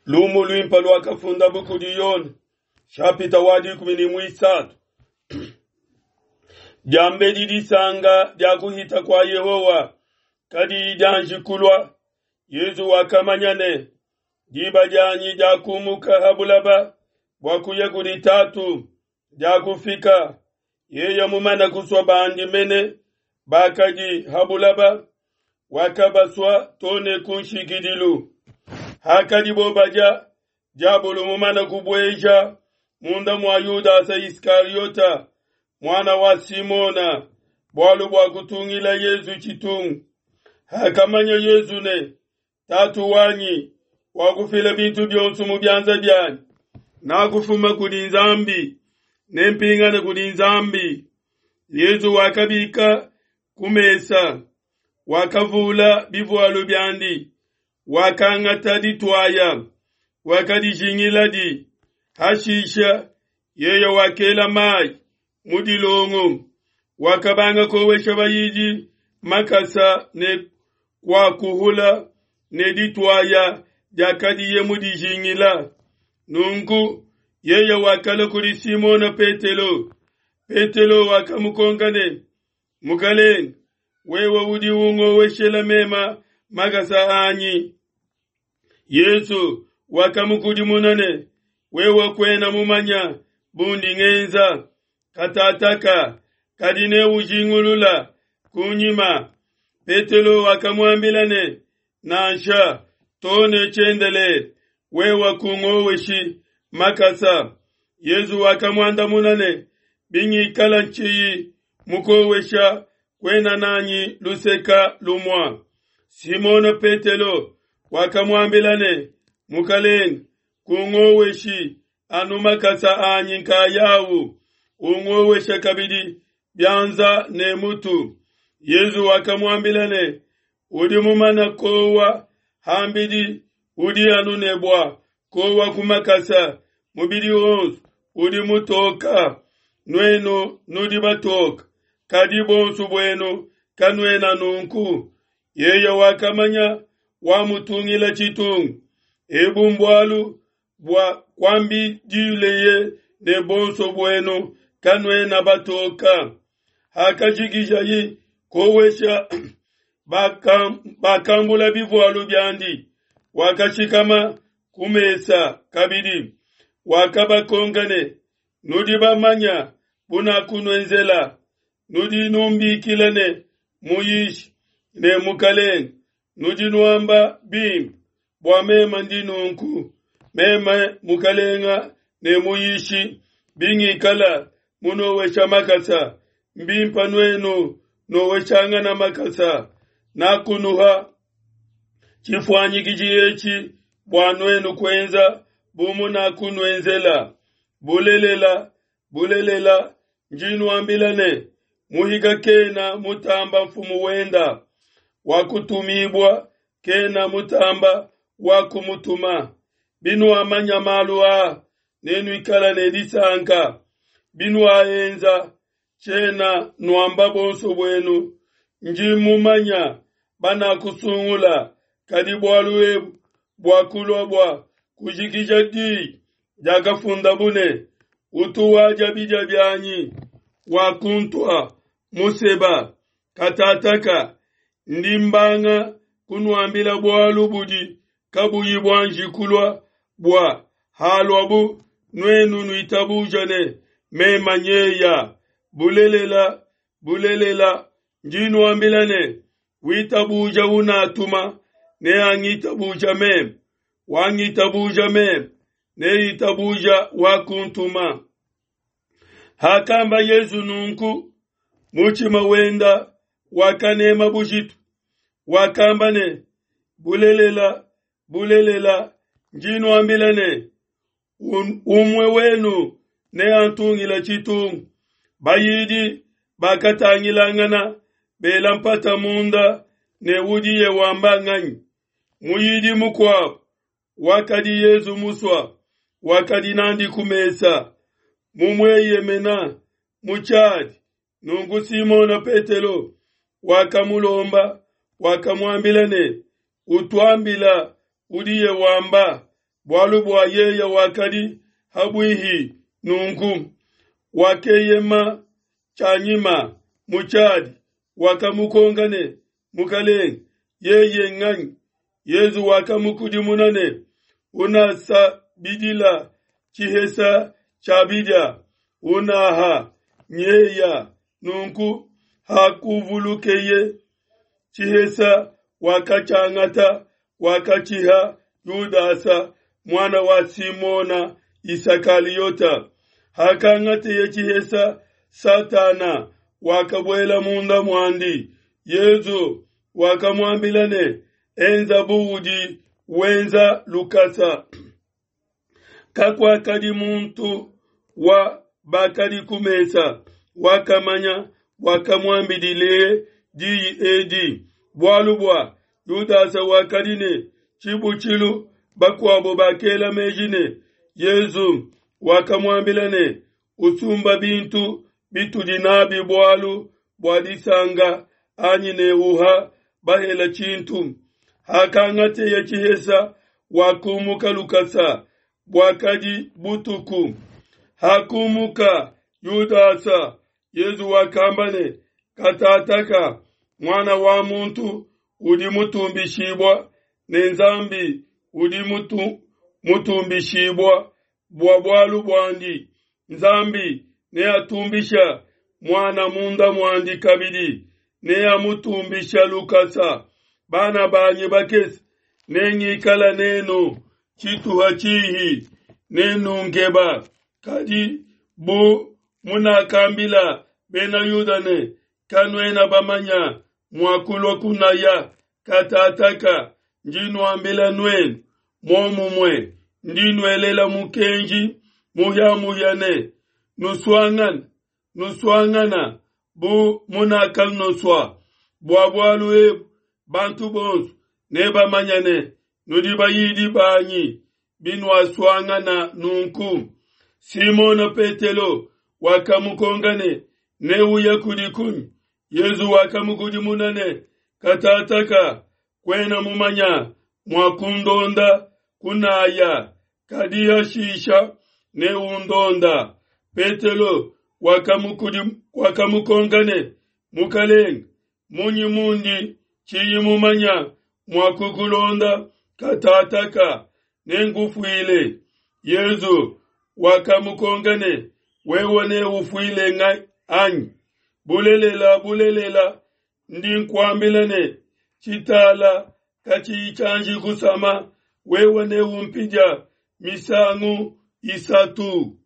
Lumu luimpe luakafundabu kudi Yone, shapita wa 13. Diambedi disanka dia kuhita kua Yehowa kadiyi dianji kulua, Yezu wakamanya ne, diba dianyi dia kumuka ha bulaba bua kuya kudi Tatu diakufika. Yeye mumana kusua bandi mene bakadi ha bulaba, wakabasua to ne ku nshikidilu. Hakadibo badia, diabolo mumana kubueja munda mua Yudasa Iskariota, muana wa Simona, bualu bua kutungila Yezu tshitungu. Hakamanya Yezu ne, Tatu wanyi wakufila bintu bionso mu bianza bianyi, nakufuma kudi Nzambi, nempingane kudi Nzambi. Yezu wakabika ku mesa, wakavula bivualu biandi, wakangata dituaya, wakadijingiladi. Hashisha yeye wakela mai mu dilongo, wakabanga kowesha bayidi makasa ne kuakuhula ne dituaya diakadiye mudijingila. Nunku yeye wakalua kudi Simona Petelo. Petelo wakamukonka ne, Mukalenge, wewe udi ungoweshela mema makasa anyi? Yesu wakamukudimuna ne, wewe kuena mumanya bundi ngenza katataka, kadi neujingulula kunyima. Petelo wakamuambila ne, nansha, to ne tshiendelele, wewe kungoweshi makasa. Yesu wakamuandamuna ne, bingikala ntshiyi mukowesha, kuena nanyi luseka lumua. Simona Petelo wakamuambila ne, Mukalenge, kungoweshi anu makasa anyi nkayawu, ungowesha kabidi bianza ne mutu. Yezu wakamuambila ne, udi mumana kowa hambidi, udi anu ne bua kowa ku makasa, mubidi wonso udi mutoka. Nuenu nudi batoka, kadi bonso buenu kanuena nunku. Yeye wakamanya wamutungila tshitungu. Ebu mbualu bua kuambidileye ne bonso buenu kanuena batoka. Hakajikijayi kowesha bakambula bivualu biandi, wakashikama ku mesa kabidi, wakabakonka ne, nudi bamanya bunakunuenzela? Nudi numbikila ne Muyishi ne Mukalenge, nudi nuamba bimpe bua meme ndi nunku. Meme Mukalenga ne Muyishi, bingikala munowesha makasa, mbimpa nuenu noweshangana makasa. Nakunuha tshifuanyikiji etshi bua nuenu kuenza bu munakunuenzela. Bulelela, bulelela, ndi nuambila ne, muhika kena mutamba mfumu wenda, wakutumibua kena mutamba wakumutuma. Binuamanya malu aa, nenuikala ne disanka. Binuaenza, tshiena nuamba bonso buenu, ndi mumanya banakusungula, kadi bualu ebu buakulua bua kujikija diyi diakafundabu ne, utu wadia bidia bianyi wakuntua museba. Katataka ndi mbanga kunuambila bualu budi kabuyi buanji kulua, bua haluabu nuenu nuitabuja ne mema nyeya. Bulelela, bulelela, ndi nuambila ne, witabuja unatuma neangitabuja meme, wangitabuja meme neitabuja wakuntuma. Hakamba Yesu nunku, mutshima wenda wakanema bujitu, wakamba ne, bulelela, bulelela, ndi nuambila ne, umue wenu neantungila tshitungu. Bayidi bakatangilangana bela mpata munda ne udiye wamba nganyi. Muyidi mukuabu wakadi Yezu musua, wakadi nandi ku mesa, mumueyemena mu tshiadi. Nunku Simona Petelo wakamulomba, wakamuambila ne, utuambila udiye wamba. Bualu bua yeye wakadi habuihi nunku, wakeyema tshianyima mu tshiadi, wakamukonka ne, Mukalenge, yeye nganyi? Yezu wakamukudimuna ne, Unasabidila tshihesa tshia bidia, unaha nyeya. Nunku hakuvulukeye tshihesa, wakatshiangata, wakatshiha Yudasa, muana wa Simona Isakaliota. Hakangateye tshihesa, Satana wakabuela munda muandi. Yezu wakamuambila ne, Enza bu udi wenza lukasa. Kakuakadi muntu wa bakadi ku mesa wakamanya wakamuambidileye diyi edi, bualu bua Yudasa wakadi ne tshibutshilu. Bakuabo bakela meji ne, Yezu wakamuambila ne, Usumba bintu bitudi nabi bualu bua disanga, anyi ne uha bahela tshintu. Hakangateye tshihesa, wakumuka lukasa, buakadi butuku. Hakumuka Yudasa, Yezu wakamba ne, Katataka Muana wa muntu udi mutumbishibua, ne Nzambi udi mutumbishibua bua bualu buandi. Nzambi neatumbisha Muana munda muandi kabidi, neamutumbisha lukasa. Bana banyi bakese, nengikala nenu tshituha tshihi, nenungeba. Kadi bu munakambila Bena Yuda ne, Kanuena bamanya mua kulua kunaya, katataka ndi nuambila nuenu muomumue, ndi nuelela mukenji muhia-muhia ne, Nusuangane, nusuangana bu munakanusua. Bua bualu ebu bantu bonso nebamanye ne, nudi bayidi banyi, binuasuangana nunku. Simona Petelo wakamukonka ne, Neuye kudi kunyi? Yezu wakamukudimuna ne, Katataka kuena mumanya mua kundonda kunaya, kadi hashisha neundonda. Petelo wakamukonka ne, Mukalenge, munyi mundi tshiyi mumanya mua kukulonda katataka? Nenkufuile. Yezu wakamukonka ne, Wewe neufuile anyi? Bulelela, bulelela, ndi nkuambila ne, tshitala katshiyi tshianji kusama, wewe neumpidia misangu isatu.